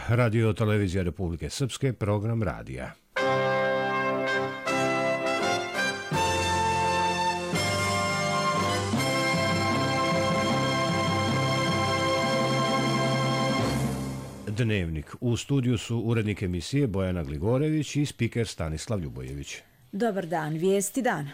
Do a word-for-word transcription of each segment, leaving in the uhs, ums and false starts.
Radio Televizija Republike Srpske, program radija. Dnevnik. U studiju su urednik emisije Bojana Gligorević i spiker Stanislav Ljubojević. Dobar dan, vijesti dana.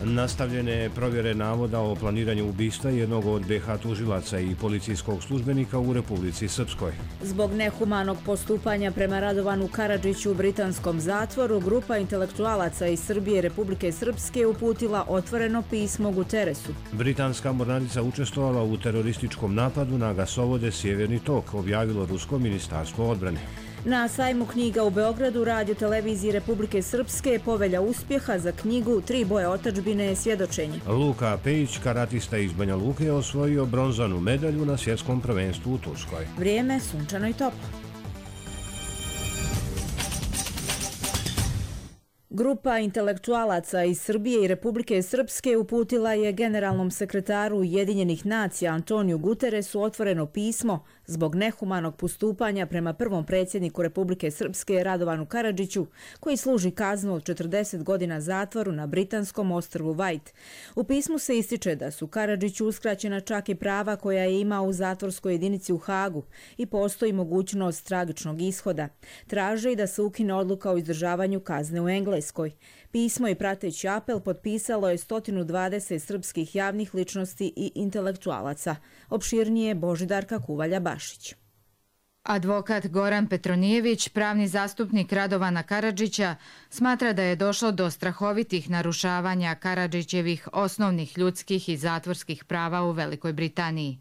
Nastavljene provjere navoda o planiranju ubistva jednog od be ha tužilaca i policijskog službenika u Republici Srpskoj. Zbog nehumanog postupanja prema Radovanu Karadžiću u britanskom zatvoru, grupa intelektualaca iz Srbije i Republike Srpske uputila otvoreno pismo Guteresu. Britanska mornarica učestvovala u terorističkom napadu na gasovode Sjeverni tok, objavilo Rusko ministarstvo odbrane. Na sajmu knjiga u Beogradu Radio Televiziji Republike Srpske Povelja uspjeha za knjigu Tri boje otadžbine svjedočenje. Luka Pejić, karatista iz Banja Luke, osvojio bronzanu medalju na svjetskom prvenstvu u Turskoj. Vrijeme sunčano i toplo. Grupa intelektualaca iz Srbije i Republike Srpske uputila je generalnom sekretaru Ujedinjenih nacija Antoniju Guteresu otvoreno pismo zbog nehumanog postupanja prema prvom predsjedniku Republike Srpske Radovanu Karadžiću, koji služi kaznu od četrdeset godina zatvoru na britanskom ostrvu White. U pismu se ističe da su Karadžiću uskraćena čak i prava koja je imao u zatvorskoj jedinici u Hagu i postoji mogućnost tragičnog ishoda. Traže i da se ukine odluka o izdržavanju kazne u Engleskoj. Pismo i prateći apel potpisalo je sto dvadeset srpskih javnih ličnosti i intelektualaca. Opširnije Božidarka Kuvalja-Bašić. Advokat Goran Petronijević, pravni zastupnik Radovana Karadžića, smatra da je došlo do strahovitih narušavanja Karadžićevih osnovnih ljudskih i zatvorskih prava u Velikoj Britaniji.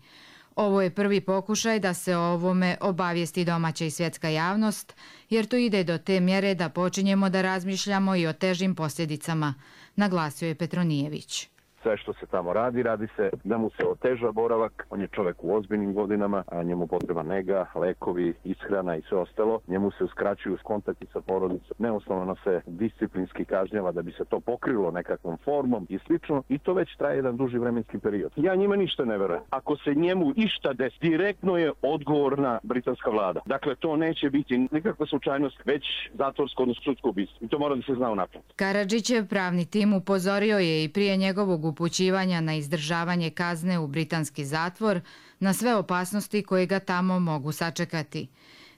Ovo je prvi pokušaj da se o ovome obavijesti domaća i svjetska javnost, jer to ide do te mjere da počinjemo da razmišljamo i o težim posljedicama, naglasio je Petronijević. Sve što se tamo radi, radi se da mu se oteža boravak, on je čovjek u ozbiljnim godinama, a njemu potreba nega, lekovi, ishrana i sve ostalo. Njemu se uskraćuju kontakti sa porodicom, neosnovano se disciplinski kažnjava da bi se to pokrilo nekakvom formom i slično, i to već traje jedan duži vremenski period. Ja njima ništa ne verujem. Ako se njemu išta desi, direktno je odgovorna britanska vlada. Dakle, to neće biti nikakva slučajnost, već zatvorsko, odnosno sudsko ubistvo. I to mora da se zna unaprijed. Karadžićev pravni tim upozorio je i prije njegovog upućivanja na izdržavanje kazne u britanski zatvor na sve opasnosti koje ga tamo mogu sačekati.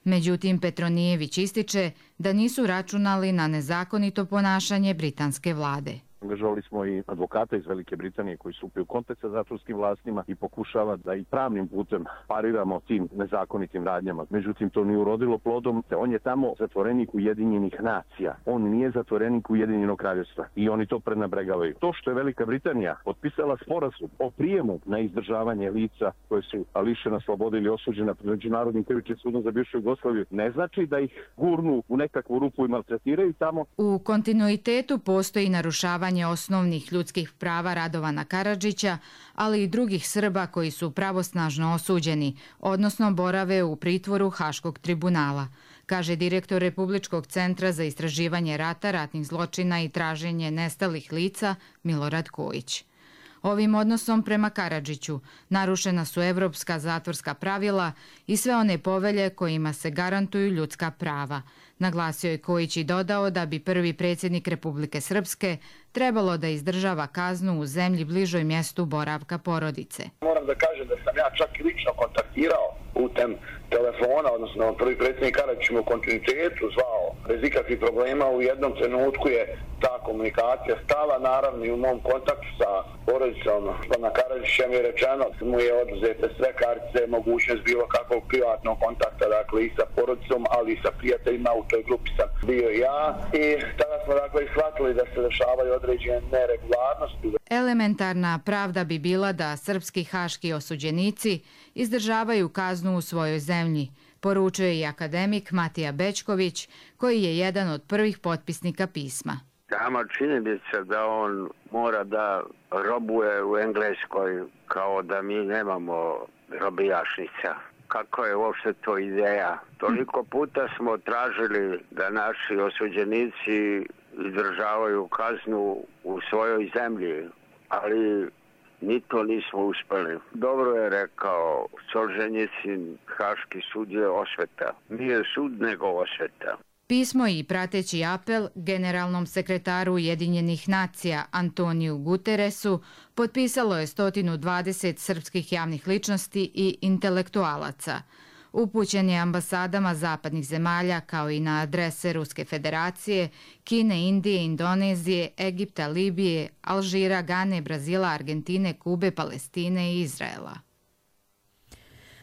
Međutim, Petronijević ističe da nisu računali na nezakonito ponašanje britanske vlade. Angažovali smo i advokata iz Velike Britanije koji stupi u kontakt sa zatvorskim vlastima i pokušava da i pravnim putem pariramo tim nezakonitim radnjama. Međutim, to nije urodilo plodom. On je tamo zatvorenik Ujedinjenih nacija. On nije zatvorenik Ujedinjenog kraljevstva i oni to prenabregavaju. To što je Velika Britanija potpisala sporazum o prijemu na izdržavanje lica koje su lišena slobode ili osuđena pred Međunarodnim krivičnim sudom za bivšu Jugoslaviju, ne znači da ih gurnu u nekakvu rupu i maltretiraju tamo. U kontinuitetu postoji narušavanje osnovnih ljudskih prava Radovana Karadžića, ali i drugih Srba koji su pravosnažno osuđeni, odnosno borave u pritvoru Haškog tribunala, kaže direktor Republičkog centra za istraživanje rata, ratnih zločina i traženje nestalih lica Milorad Kojić. Ovim odnosom prema Karadžiću narušena su evropska zatvorska pravila i sve one povelje kojima se garantuju ljudska prava. Naglasio je Kojić i dodao da bi prvi predsjednik Republike Srpske trebalo da izdržava kaznu u zemlji bližoj mjestu boravka porodice. Moram da kažem da sam ja čak i lično kontaktirao putem telefona, odnosno prvi predsjednik Karadžić u kontinuitetu zvao bez ikakvih problema. U jednom trenutku je ta komunikacija stala, naravno i u mom kontaktu sa porodicom pana Karadžića mi je rečeno da mu je oduzete sve kartice, mogućnost bilo kakvog privatnog kontakta, dakle i sa porodicom, ali i sa prijateljima. U toj grupi sam bio ja i tada smo dakle shvatili da se dešavaju određene neregularnosti. Elementarna pravda bi bila da srpski haški osuđenici izdržavaju kaznu u svojoj zemlji, poručuje i akademik Matija Bečković, koji je jedan od prvih potpisnika pisma. Sama čini mi se da on mora da robuje u Engleskoj kao da mi nemamo robijašnica. Kako je uopšte to ideja? Toliko puta smo tražili da naši osuđenici izdržavaju kaznu u svojoj zemlji, ali ni to nismo uspjeli. Dobro je rekao Solženjicin, Haški sud je osveta. Nije sud nego osveta. Pismo i prateći apel generalnom sekretaru Ujedinjenih nacija Antoniju Guteresu potpisalo je sto dvadeset srpskih javnih ličnosti i intelektualaca. Upućen je ambasadama zapadnih zemalja kao i na adrese Ruske federacije, Kine, Indije, Indonezije, Egipta, Libije, Alžira, Gane, Brazila, Argentine, Kube, Palestine i Izraela.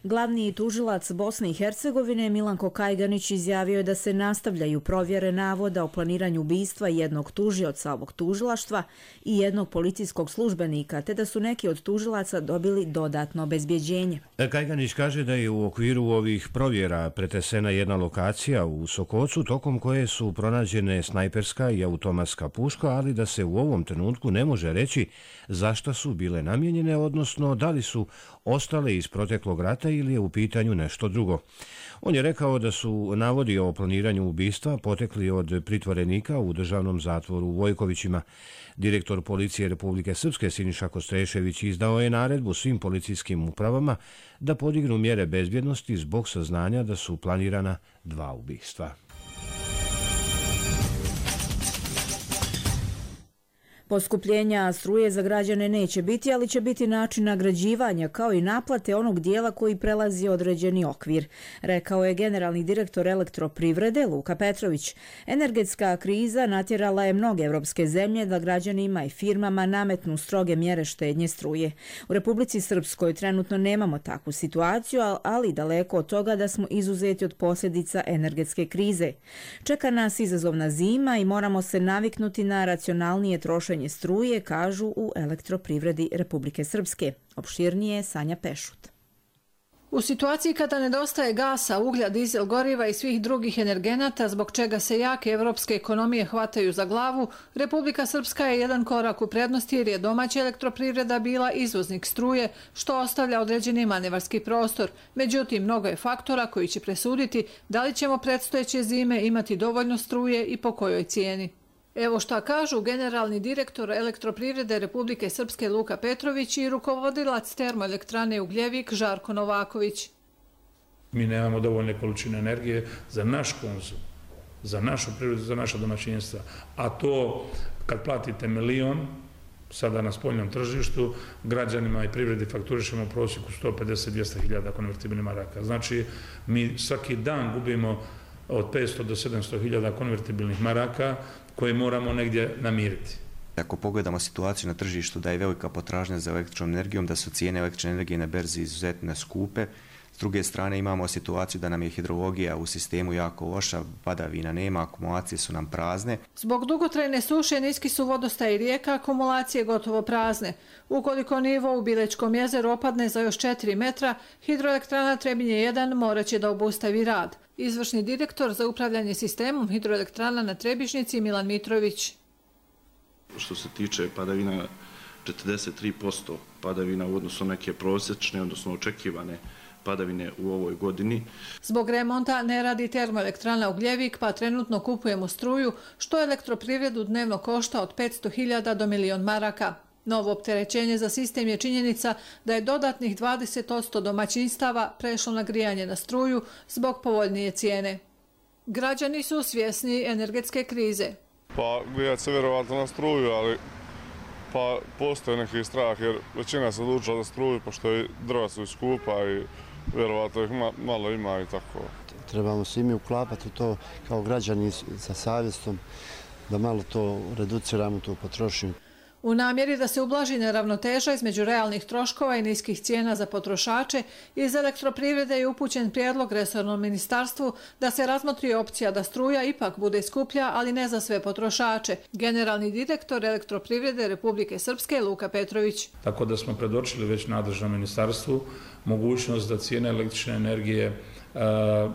Glavni tužilac Bosne i Hercegovine Milanko Kajganić izjavio je da se nastavljaju provjere navoda o planiranju ubistva jednog tužioca ovog tužilaštva i jednog policijskog službenika, te da su neki od tužilaca dobili dodatno obezbjeđenje. Kajganić kaže da je u okviru ovih provjera pretesena jedna lokacija u Sokocu, tokom koje su pronađene snajperska i automatska puška, ali da se u ovom trenutku ne može reći zašto su bile namijenjene, odnosno da li su ostale iz proteklog rata ili je u pitanju nešto drugo. On je rekao da su navodi o planiranju ubistva potekli od pritvorenika u državnom zatvoru u Vojkovićima. Direktor policije Republike Srpske Siniša Kostrešević izdao je naredbu svim policijskim upravama da podignu mjere bezbjednosti zbog saznanja da su planirana dva ubistva. Poskupljenja struje za građane neće biti, ali će biti način nagrađivanja kao i naplate onog dijela koji prelazi određeni okvir, rekao je generalni direktor Elektroprivrede Luka Petrović. Energetska kriza natjerala je mnoge evropske zemlje da građanima i firmama nametnu stroge mjere štednje struje. U Republici Srpskoj trenutno nemamo takvu situaciju, ali daleko od toga da smo izuzeti od posljedica energetske krize. Čeka nas izazovna zima i moramo se naviknuti na racionalnije trošenje struje, kažu u Elektroprivredi Republike Srpske. Opširnije Sanja Pešut. U situaciji kada nedostaje gasa, uglja, dizel goriva i svih drugih energenata, zbog čega se jake evropske ekonomije hvataju za glavu, Republika Srpska je jedan korak u prednosti jer je domaća elektroprivreda bila izvoznik struje, što ostavlja određeni manevarski prostor. Međutim, mnogo je faktora koji će presuditi da li ćemo predstojeće zime imati dovoljno struje i po kojoj cijeni. Evo šta kažu generalni direktor Elektroprivrede Republike Srpske Luka Petrović i rukovodilac termoelektrane Ugljevik Žarko Novaković. Mi nemamo dovoljne količine energije za naš konzum, za našu privredu, za naša domaćinstva. A to kad platite milion, sada na spoljnom tržištu, građanima i privredi fakturišemo u prosjeku sto pedeset do dvjesto hiljada konvertibilnih maraka. Znači, mi svaki dan gubimo od petsto do sedamsto hiljada konvertibilnih maraka koje moramo negdje namiriti. Ako pogledamo situaciju na tržištu da je velika potražnja za električnom energijom, da su cijene električne energije na berzi izuzetno skupe, s druge strane imamo situaciju da nam je hidrologija u sistemu jako loša, padavina nema, akumulacije su nam prazne. Zbog dugotrajne suše niski su vodostaj rijeka, akumulacije gotovo prazne. Ukoliko nivo u Bilečkom jezeru opadne za još četiri metra, hidroelektrana Trebinje jedan morat će da obustavi rad. Izvršni direktor za upravljanje sistemom hidroelektrana na Trebišnjici Milan Mitrović. Što se tiče padavina, četrdeset tri posto padavina u odnosu na neke prosječne, odnosno očekivane padavine u ovoj godini. Zbog remonta ne radi termoelektrana Ugljevik, pa trenutno kupujemo struju, što elektroprivredu dnevno košta od petsto hiljada do milion maraka. Novo opterećenje za sistem je činjenica da je dodatnih dvadeset posto domaćinstava prešlo na grijanje na struju zbog povoljnije cijene. Građani su svjesni energetske krize. Pa grijat se vjerovatno na struju, ali pa postoje neki strah jer većina se odlučila za struju pošto je drva su skupa i vjerovatno ih malo ima i tako. Trebamo svi mi uklapati to kao građani sa savjestom da malo to reduciramo, tu potrošnju. U namjeri da se ublaži neravnoteža između realnih troškova i niskih cijena za potrošače, iz Elektroprivrede je upućen prijedlog resornom ministarstvu da se razmotri opcija da struja ipak bude skuplja, ali ne za sve potrošače. Generalni direktor Elektroprivrede Republike Srpske Luka Petrović. Tako da smo predočili već nadležnom ministarstvu mogućnost da cijene električne energije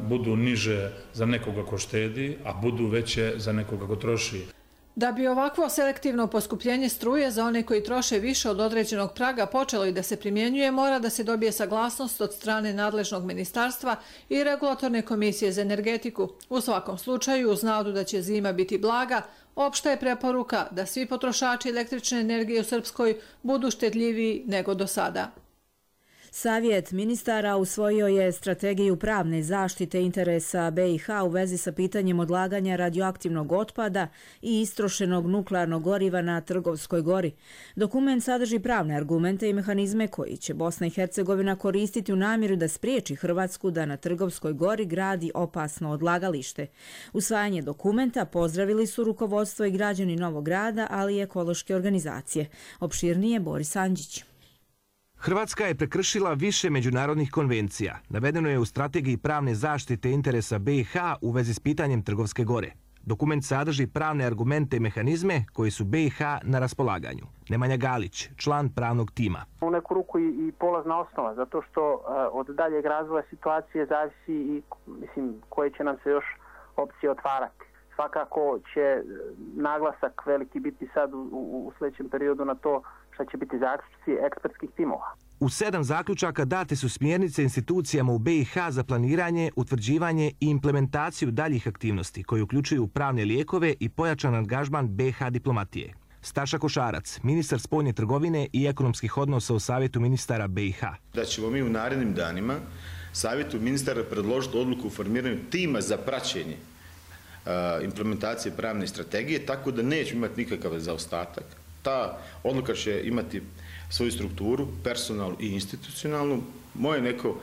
budu niže za nekoga ko štedi, a budu veće za nekoga ko troši. Da bi ovakvo selektivno poskupljenje struje za one koji troše više od određenog praga počelo i da se primjenjuje, mora da se dobije saglasnost od strane nadležnog ministarstva i regulatorne komisije za energetiku. U svakom slučaju, uz nadu da će zima biti blaga, opšta je preporuka da svi potrošači električne energije u Srpskoj budu štedljiviji nego do sada. Savjet ministara usvojio je strategiju pravne zaštite interesa B i H u vezi sa pitanjem odlaganja radioaktivnog otpada i istrošenog nuklearnog goriva na Trgovskoj gori. Dokument sadrži pravne argumente i mehanizme koji će Bosna i Hercegovina koristiti u namjeru da spriječi Hrvatsku da na Trgovskoj gori gradi opasno odlagalište. Usvajanje dokumenta pozdravili su rukovodstvo i građani Novog Grada, ali i ekološke organizacije. Opširnije Boris Andžić. Hrvatska je prekršila više međunarodnih konvencija. Navedeno je u strategiji pravne zaštite interesa B i H u vezi s pitanjem Trgovske gore. Dokument sadrži pravne argumente i mehanizme koji su B i H na raspolaganju. Nemanja Galić, član pravnog tima. U neku ruku i polazna osnova, zato što od daljeg razvoja situacije zavisi i mislim, koje će nam se još opcije otvarati. Svakako će naglasak veliki biti sad u, u, u sljedećem periodu na to što će biti zaključci ekspertskih timova. U sedam zaključaka date su smjernice institucijama u B i H za planiranje, utvrđivanje i implementaciju daljih aktivnosti koji uključuju pravne lijekove i pojačan angažman B i H diplomatije. Staša Košarac, ministar spoljne trgovine i ekonomskih odnosa u Savjetu ministara B i H. Da ćemo mi u narednim danima Savjetu ministara predložiti odluku u formiranju tima za praćenje implementacije pravne strategije, tako da neće imati nikakav zaostatak. Ta odluka će imati svoju strukturu, personalnu i institucionalnu. Moje neko,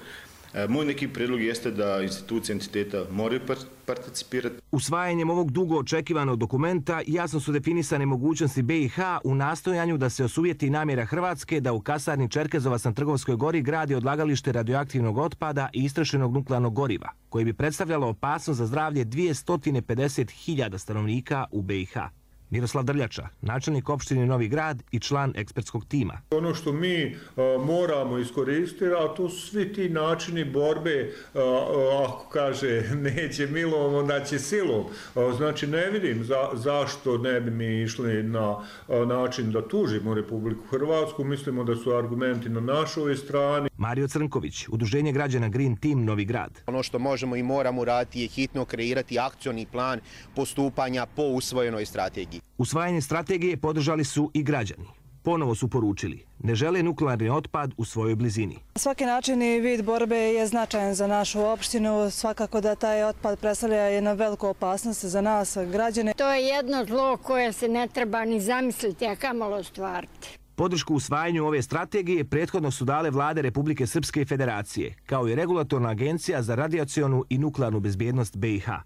moj neki prijedlog jeste da institucije entiteta moraju participirati. Usvajanjem ovog dugo očekivanog dokumenta jasno su definisane mogućnosti B i H u nastojanju da se osuvjeti namjera Hrvatske da u kasarni Čerkezovac na Trgovskoj gori gradi odlagalište radioaktivnog otpada i istrošenog nuklearnog goriva, koji bi predstavljalo opasnost za zdravlje dvjesto pedeset hiljada stanovnika u B i H. Miroslav Drljača, načelnik opštine Novi Grad i član ekspertskog tima. Ono što mi a, moramo iskoristiti, a to su svi ti načini borbe, a, a, ako kaže neće milom, onda će silom. A, znači ne vidim za, zašto ne bi mi išli na a, način da tužimo Republiku Hrvatsku. Mislimo da su argumenti na našoj strani. Mario Crnković, Udruženje građana Green Team Novi Grad. Ono što možemo i moramo raditi je hitno kreirati akcioni plan postupanja po usvojenoj strategiji. Usvajanje strategije podržali su i građani. Ponovo su poručili, ne žele nuklearni otpad u svojoj blizini. Svaki način i vid borbe je značajan za našu opštinu. Svakako da taj otpad predstavlja jednu veliku opasnost za nas, građane. To je jedno zlo koje se ne treba ni zamisliti, a kamalo ostvariti. Podršku usvajanju ove strategije prethodno su dale vlade Republike Srpske i Federacije, kao i Regulatorna agencija za radijacionu i nuklearnu bezbjednost B i H.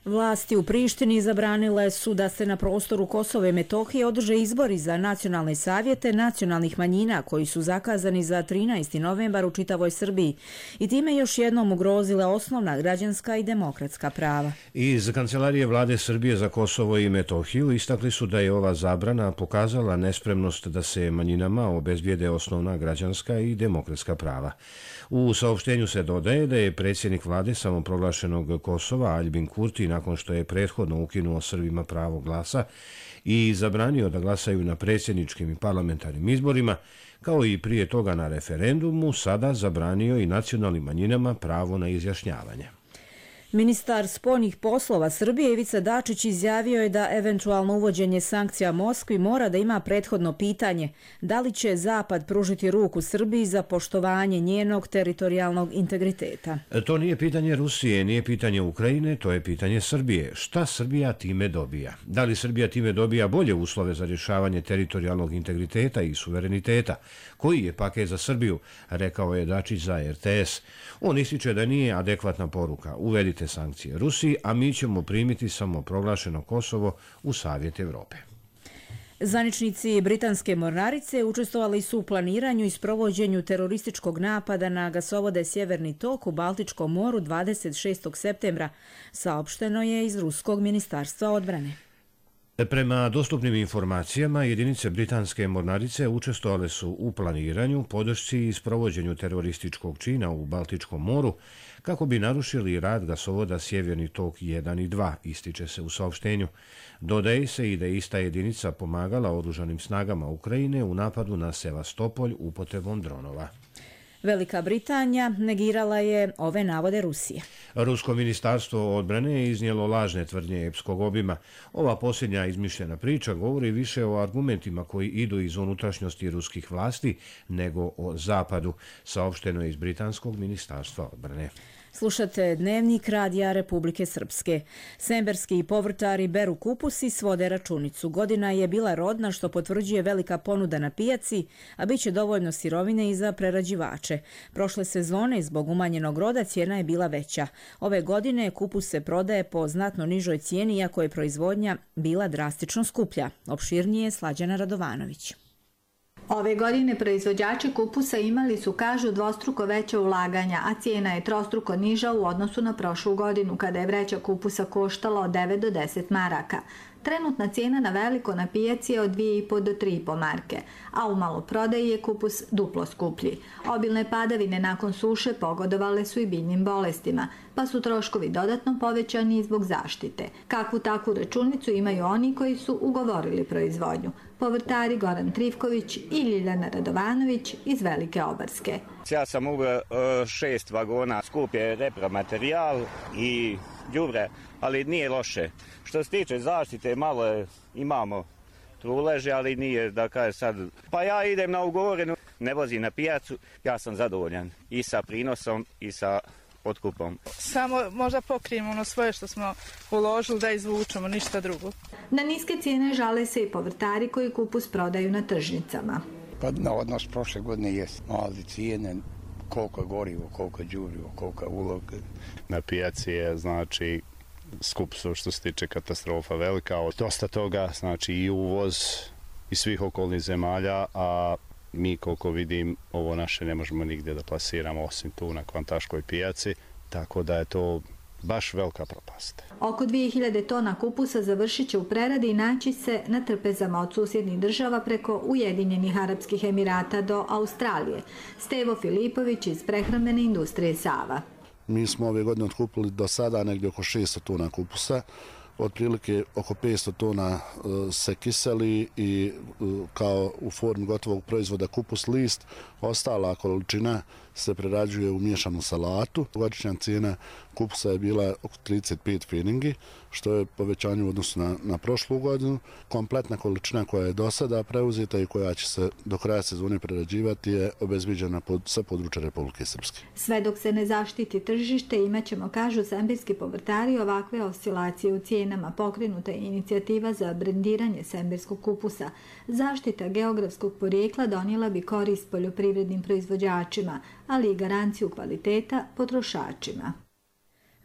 Vlasti u Prištini zabranile su da se na prostoru Kosova i Metohije održe izbori za nacionalne savjete nacionalnih manjina koji su zakazani za trinaesti novembar u čitavoj Srbiji i time još jednom ugrozile osnovna građanska i demokratska prava. Iz Kancelarije vlade Srbije za Kosovo i Metohiju istakli su da je ova zabrana pokazala nespremnost da se manjinama obezbijede osnovna građanska i demokratska prava. U saopštenju se dodaje da je predsjednik vlade samoproglašenog Kosova Aljbin Kurti nakon što je prethodno ukinuo Srbima pravo glasa i zabranio da glasaju na predsjedničkim i parlamentarnim izborima, kao i prije toga na referendumu, sada zabranio i nacionalnim manjinama pravo na izjašnjavanje. Ministar spoljnih poslova Srbije Ivica Dačić izjavio je da eventualno uvođenje sankcija Moskvi mora da ima prethodno pitanje da li će Zapad pružiti ruku Srbiji za poštovanje njenog teritorijalnog integriteta. To nije pitanje Rusije, nije pitanje Ukrajine, to je pitanje Srbije. Šta Srbija time dobija? Da li Srbija time dobija bolje uslove za rješavanje teritorijalnog integriteta i suvereniteta? Koji je paket za Srbiju? Rekao je Dačić za R T S. On ističe da nije adekvatna poruka. Uvedite sankcije Rusiji, a mi ćemo primiti samo proglašeno Kosovo u Savjet Evrope. Zvaničnici britanske mornarice učestvovali su u planiranju i sprovođenju terorističkog napada na gasovode Sjeverni tok u Baltičkom moru dvadeset šestog septembra, saopšteno je iz Ruskog ministarstva odbrane. Prema dostupnim informacijama, jedinice britanske mornarice učestvovale su u planiranju, podršci i sprovođenju terorističkog čina u Baltičkom moru kako bi narušili rad gasovoda Sjeverni tok jedan i dva, ističe se u saopštenju. Dodaje se i da je ista jedinica pomagala oružanim snagama Ukrajine u napadu na Sevastopolj upotrebom dronova. Velika Britanija negirala je ove navode Rusije. Rusko ministarstvo odbrane je iznijelo lažne tvrdnje epskog obima. Ova posljednja izmišljena priča govori više o argumentima koji idu iz unutrašnjosti ruskih vlasti nego o zapadu, saopšteno je iz Britanskog ministarstva odbrane. Slušate Dnevnik Radija Republike Srpske. Semberski povrtari beru kupus i svode računicu. Godina je bila rodna što potvrđuje velika ponuda na pijaci, a bit će dovoljno sirovine i za prerađivače. Prošle sezone zbog umanjenog roda cijena je bila veća. Ove godine kupus se prodaje po znatno nižoj cijeni, iako je proizvodnja bila drastično skuplja. Opširnije Slađana Radovanović. Ove godine proizvođači kupusa imali su, kažu, dvostruko veće ulaganja, a cijena je trostruko niža u odnosu na prošlu godinu, kada je vreća kupusa koštala od devet do deset maraka. Trenutna cijena na veliko na pijaci je od dvije i po do tri i po marke, a u maloprodaji je kupus duplo skuplji. Obilne padavine nakon suše pogodovale su i biljnim bolestima, pa su troškovi dodatno povećani i zbog zaštite. Kakvu takvu računicu imaju oni koji su ugovorili proizvodnju. Povrtari Goran Trivković i Ljiljana Radovanović iz Velike Obarske. Ja sam uveo šest vagona, skup je repromaterijal i đubre, ali nije loše. Što se tiče zaštite, malo je, imamo truleže, ali nije da kaže sad. Pa ja idem na ugovorenu, ne vozim na pijacu, ja sam zadovoljan i sa prinosom i sa otkupom. Samo možda pokrijemo ono svoje što smo uložili da izvučemo, ništa drugo. Na niske cijene žale se i povrtari koji kupus prodaju na tržnicama. Pa na odnos prošle godine je mali cijene, koliko je gorivo, koliko je đubrivo, koliko je ulog. Na pijaci je, znači, skup su što se tiče katastrofa velika. Dosta toga, znači i uvoz iz svih okolnih zemalja, a mi koliko vidim ovo naše ne možemo nigdje da plasiramo osim tu na kvantaškoj pijaci, tako da je to baš velika propast. Oko dvije hiljade tona kupusa završit će u preradi i naći se na trpezama od susjednih država preko Ujedinjenih Arapskih Emirata do Australije. Stevo Filipović iz prehrambene industrije Sava. Mi smo ove godine otkupili do sada negdje oko šesto tona kupusa. Otprilike oko petsto tona se kiseli i kao u formi gotovog proizvoda kupus list. Ostala količina se prerađuje u miješanu salatu. Godišnja cijena kupusa je bila oko trideset pet pfeningi, što je povećanje u odnosu na, na prošlu godinu. Kompletna količina koja je do sada preuzeta i koja će se do kraja sezone prerađivati je obezbiđena pod, sa područja Republike Srpske. Sve dok se ne zaštiti tržište, imaćemo, kažu semberski povrtari, ovakve oscilacije u cijenama. Pokrenuta je inicijativa za brendiranje semberskog kupusa. Zaštita geografskog porijekla donijela bi korist poljoprivrednim proizvođačima, ali i garanciju kvaliteta potrošačima.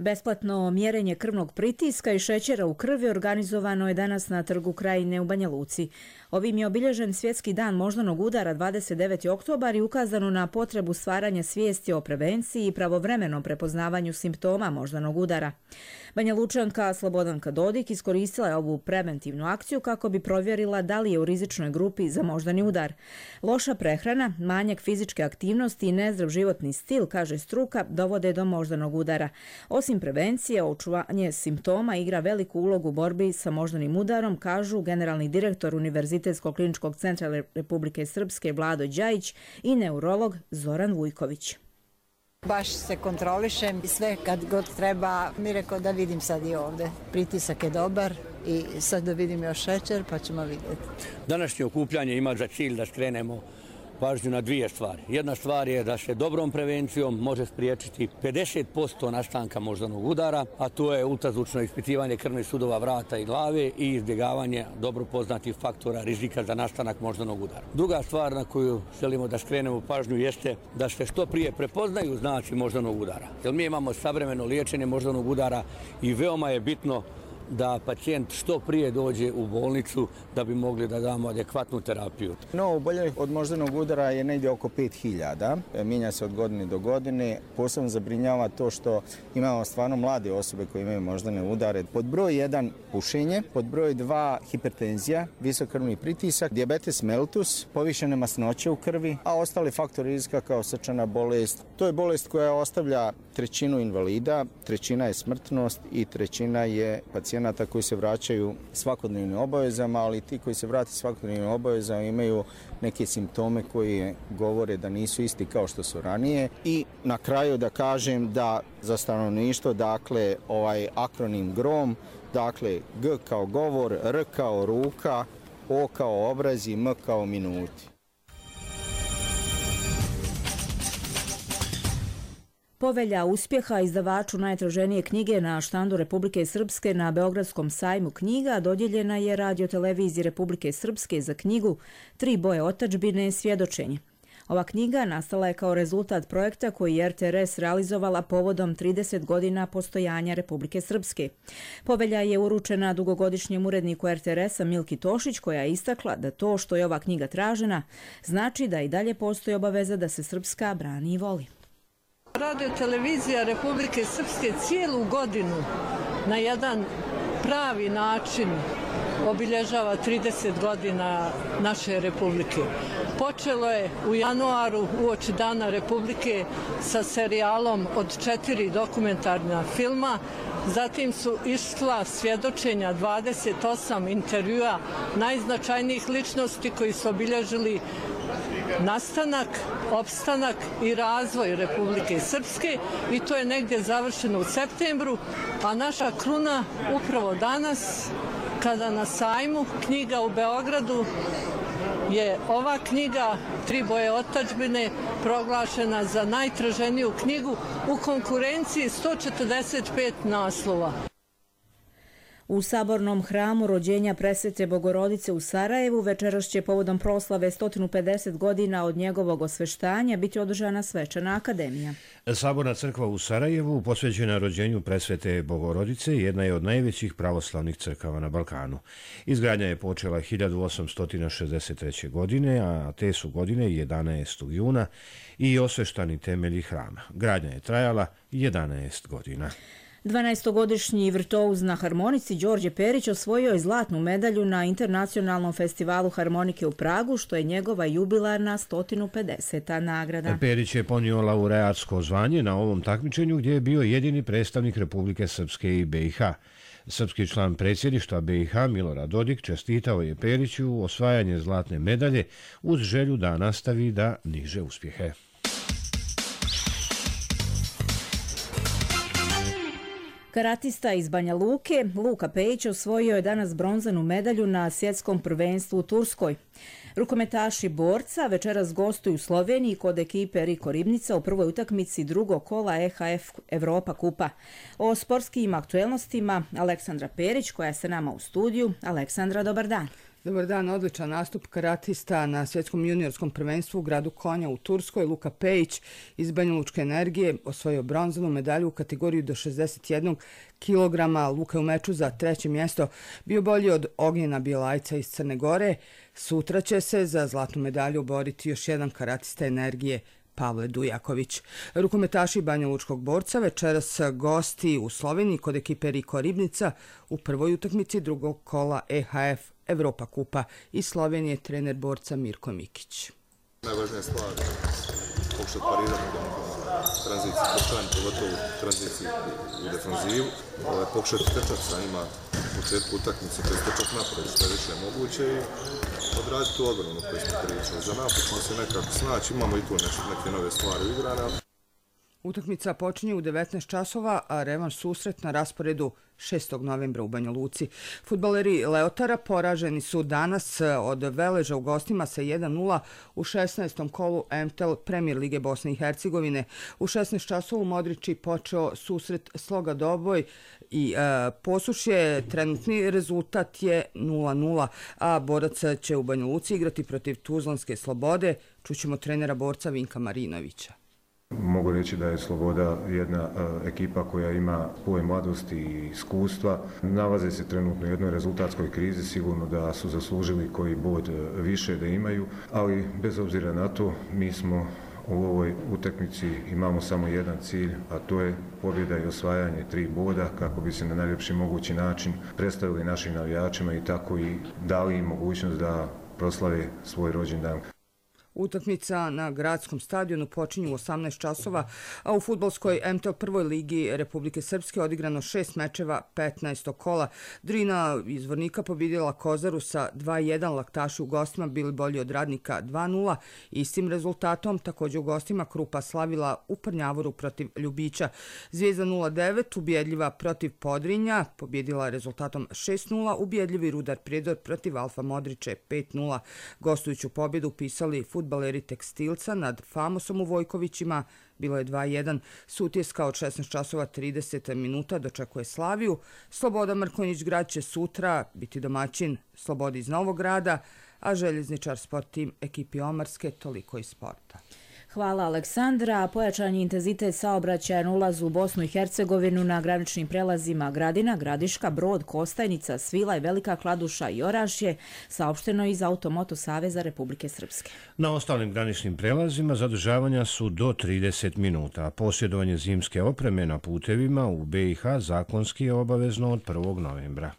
Besplatno mjerenje krvnog pritiska i šećera u krvi organizovano je danas na Trgu Krajine u Banja Luci. Ovim je obilježen Svjetski dan moždanog udara dvadeset deveti oktobar i ukazano na potrebu stvaranja svijesti o prevenciji i pravovremenom prepoznavanju simptoma moždanog udara. Banja Lučanka Slobodanka Dodik iskoristila je ovu preventivnu akciju kako bi provjerila da li je u rizičnoj grupi za moždani udar. Loša prehrana, manjak fizičke aktivnosti i nezdrav životni stil, kaže struka, dovode do moždanog udara. Osim prevencije, očuvanje simptoma igra veliku ulogu u borbi sa moždanim udarom, kažu generalni direktor Univerzitetskog kliničkog centra Republike Srpske Vlado Đajić i neurolog Zoran Vujković. Baš se kontrolišem i sve kad god treba, mi rekao da vidim sad i ovdje. Pritisak je dobar i sad da vidim još šećer pa ćemo vidjeti. Današnje okupljanje ima za cilj da skrenemo pažnju na dvije stvari. Jedna stvar je da se dobrom prevencijom može spriječiti pedeset posto nastanka moždanog udara, a to je ultrazvučno ispitivanje krvnih sudova vrata i glave i izbjegavanje dobro poznatih faktora rizika za nastanak moždanog udara. Druga stvar na koju želimo da skrenemo pažnju jeste da se što prije prepoznaju znaci moždanog udara. Jer mi imamo savremeno liječenje moždanog udara i veoma je bitno da pacijent što prije dođe u bolnicu da bi mogli da damo adekvatnu terapiju. No, oboljelih od moždanog udara je negdje oko pet hiljada. Mijenja se od godine do godine. Posebno zabrinjava to što imamo stvarno mlade osobe koje imaju moždane udare. Pod broj jedan pušenje, pod broj dva hipertenzija, visok krvni pritisak, dijabetes mellitus, povišene masnoće u krvi, a ostali faktori rizika kao srčana bolest. To je bolest koja ostavlja trećinu invalida, trećina je smrtnost i trećina je pacijenata koji se vraćaju svakodnevnim obavezama, ali ti koji se vrate svakodnevnim obavezama imaju neke simptome koji govore da nisu isti kao što su ranije. I na kraju da kažem da za stanovništvo, dakle, ovaj akronim GROM, dakle, G kao govor, R kao ruka, O kao obrazi, M kao minuti. Povelja uspjeha izdavaču najtraženije knjige na štandu Republike Srpske na Beogradskom sajmu knjiga dodijeljena je radioteleviziji Republike Srpske za knjigu Tri boje otadžbine svjedočenje. Ova knjiga nastala je kao rezultat projekta koji je R T R S realizovala povodom trideset godina postojanja Republike Srpske. Povelja je uručena dugogodišnjem uredniku R T R S-a Milki Tošić, koja je istakla da to što je ova knjiga tražena znači da i dalje postoji obaveza da se Srpska brani i voli. Radio televizija Republike Srpske cijelu godinu na jedan pravi način obilježava trideset godina naše Republike. Počelo je u januaru uoči Dana Republike sa serijalom od četiri dokumentarna filma, zatim su išla svjedočenja dvadeset osam intervjua najznačajnijih ličnosti koji su obilježili nastanak, opstanak i razvoj Republike Srpske i to je negdje završeno u septembru, a naša kruna upravo danas kada na sajmu knjiga u Beogradu je ova knjiga Tri boje otadžbine proglašena za najtraženiju knjigu u konkurenciji sto četrdeset pet naslova. U Sabornom hramu rođenja Presvete Bogorodice u Sarajevu večeras će povodom proslave sto pedeset godina od njegovog osveštanja biti održana svečana akademija. Saborna crkva u Sarajevu, posvećena rođenju Presvete Bogorodice, jedna je od najvećih pravoslavnih crkava na Balkanu. Izgradnja je počela hiljadu osamsto šezdeset treće. godine, a te su godine jedanaestog juna i osveštani temelji hrama. Gradnja je trajala jedanaest godina. dvanaestogodišnji virtuoz na harmonici Đorđe Perić osvojio je zlatnu medalju na Internacionalnom festivalu harmonike u Pragu, što je njegova jubilarna sto pedeseta nagrada. Perić je ponio laureatsko zvanje na ovom takmičenju gdje je bio jedini predstavnik Republike Srpske i B i H. Srpski član predsjedništva B i H Milorad Dodik čestitao je Periću osvajanje zlatne medalje uz želju da nastavi da niže uspjehe. Karatista iz Banja Luke, Luka Pejić, osvojio je danas bronzanu medalju na svjetskom prvenstvu u Turskoj. Rukometaši borca večeras gostuju u Sloveniji kod ekipe Riko Ribnica u prvoj utakmici drugog kola E H F Evropa kupa. O sportskim aktuelnostima Aleksandra Perić, koja je sa nama u studiju. Aleksandra, dobar dan. Dobar dan, odličan nastup karatista na svjetskom juniorskom prvenstvu u gradu Konja u Turskoj. Luka Pejić iz Banja Lučke energije osvojio bronzanu medalju u kategoriji do šezdeset jednog kilograma. Luka je u meču za treće mjesto bio bolji od Ognjena Bjelajca iz Crne Gore. Sutra će se za zlatnu medalju boriti još jedan karatista energije, Pavle Dujaković. Rukometaši Banja Lučkog borca večeras gosti u Sloveniji kod ekipe Riko Ribnica u prvoj utakmici drugog kola E H F Evropa kupa. Iz Slovenije trener borca Mirko Mikić. Najvažnija stvar je pokušati parirati tranziciju, poštovanje pogotovo tranziciju u defanzivu, pokušati trčati sa njima u početku utakmice, to je trčati napred što je više moguće i odraditi tu odbranu koju smo pričali. Za napad ćemo se nekako snaći, imamo i tu neke nove stvari u igrana. Utakmica počinje u devetnaest časova, a revanš susret na rasporedu šestog novembra u Banja Luci. Fudbaleri Leotara poraženi su danas od Veleža u gostima sa jedan nula u šesnaestom kolu M T L Premier Lige Bosne i Hercegovine. U šesnaest časova u Modriči počeo susret Sloga Doboj i e, Posušje. Trenutni rezultat je nula nula, a borac će u Banja Luci igrati protiv Tuzlanske Slobode. Čućemo trenera borca Vinka Marinovića. Mogu reći da je Sloboda jedna ekipa koja ima puno mladosti i iskustva. Nalaze se trenutno u jednoj rezultatskoj krizi, sigurno da su zaslužili koji bod više da imaju, ali bez obzira na to mi smo u ovoj utakmici imamo samo jedan cilj, a to je pobjeda i osvajanje tri boda kako bi se na najljepši mogući način predstavili našim navijačima i tako i dali im mogućnost da proslave svoj rođendan. Utakmica na gradskom stadionu počinju u osamnaest časova, a u fudbalskoj M T L prvoj ligi Republike Srpske odigrano šest mečeva petnaestog kola. Drina iz Vornika pobjedila Kozaru sa dva jedan, Laktaši u gostima bili bolji od Radnika dva nula. Istim rezultatom također u gostima Krupa slavila u Prnjavoru protiv Ljubića. Zvijezda nula devet ubjedljiva protiv Podrinja, pobjedila rezultatom šest nula, ubjedljivi Rudar Prijedor protiv Alfa Modriče pet nula. Gostujuću pobjedu upisali fudbaleri Tekstilca nad Famosom u Vojkovićima, bilo je dva jedan. Sutjeska od šesnaest časova trideset minuta dočekuje Slaviju. Sloboda Mrkonjić Grad će sutra biti domaćin Slobodi iz Novog Grada, a Željezničar Sport Tim ekipi Omarske, toliko iz sporta. Hvala Aleksandra. Pojačan je intenzitet saobraćaja na ulazu u Bosnu i Hercegovinu na graničnim prelazima Gradina, Gradiška, Brod, Kostajnica, Svilaj, Velika Kladuša i Orašje, saopšteno iz Automoto Saveza Republike Srpske. Na ostalim graničnim prelazima zadržavanja su do trideset minuta. Posjedovanje zimske opreme na putevima u B i H zakonski je obavezno od prvog novembra.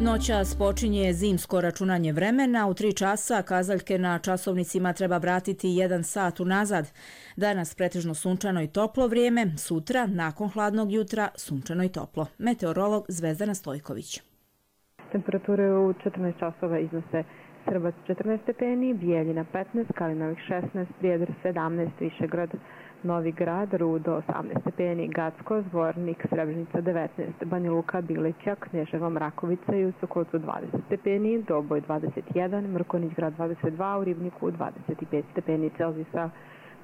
Noćas počinje zimsko računanje vremena. U tri časa kazaljke na časovnicima treba vratiti jedan sat unazad. Danas pretežno sunčano i toplo vrijeme, sutra, nakon hladnog jutra, sunčano i toplo. Meteorolog Zvezdana Stojković. Temperature u četrnaest časova iznose Srbac četrnaest stepeni, Bijeljina petnaest, Kalinovih šesnaest, Prijedor sedamnaest, Višegrad, Novi Grad, Rudo osamnaest stepeni, Gacko, Zvornik, Srebrenica devetnaest, Banja Luka, Bileća, Kneževo, Mrakovica i u Sokocu dvadeset stepeni, Doboj dvadeset jedan, Mrkonjić Grad dvadeset dva, u Ribniku dvadeset pet stepeni Celzijusa.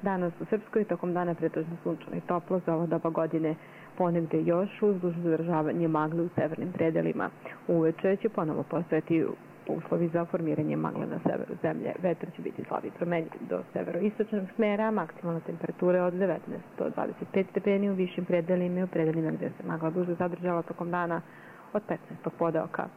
Danas u Srpskoj tokom dana pretežno sunčano i toplo, za ovo doba godine ponegde još uz dužno zadržavanje magle u severnim predelima. Uveče će ponovo postojati uslovi za formiranje magle na severu zemlje. Vetar će biti slab i promenljiv do severoistočnog smjera, maksimalna temperatura od devetnaest do dvadeset pet stepeni u višim predelima i u predelima gdje se magla duže zadržala tokom dana od petnaestog podeoka.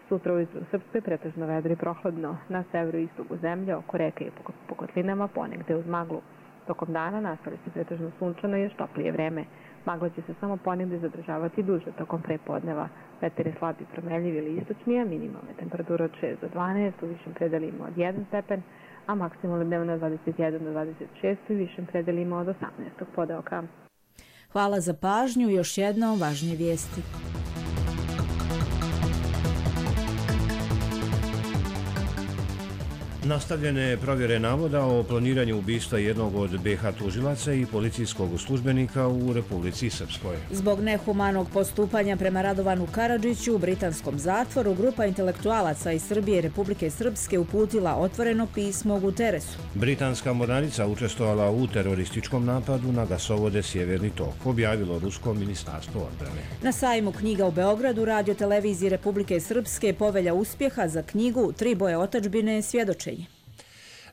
Sutra ujutro u Srpskoj pretežno vedro i prohladno, na severu i istoku zemlje, oko reke i po kotlinama, ponegde uz maglu. Tokom dana nastavlja se pretežno sunčano i još toplije vreme. Magla će se samo ponegde zadržavati duže tokom prepodneva. Vetar je slab i promenljiv ili istočnija, minimalne temperature od šest do dvanaest, u višim predelima od jedan stepen, a maksimalno dnevno od dvadeset jedan do dvadeset šest u višim predelima od osamnaestog podeoka. Hvala za pažnju. Još jednom važnije vijesti. Nastavljene provjere navoda o planiranju ubistva jednog od B H tužilaca i policijskog službenika u Republici Srpskoj. Zbog nehumanog postupanja prema Radovanu Karadžiću u britanskom zatvoru, grupa intelektualaca iz Srbije i Republike Srpske uputila otvoreno pismo Guteresu. Britanska mornarica učestvovala u terorističkom napadu na gasovode Sjeverni tok, objavilo Rusko ministarstvo odbrane. Na sajmu knjiga u Beogradu Radio televiziji Republike Srpske povelja uspjeha za knjigu Tri boje otadžbine svjedočenje.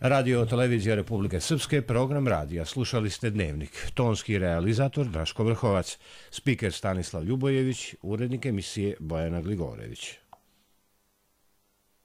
Radio televizija Republike Srpske, program radija. Slušali ste Dnevnik. Tonski realizator Draško Vrhovac, spiker Stanislav Ljubojević, urednik emisije Bojana Gligorević.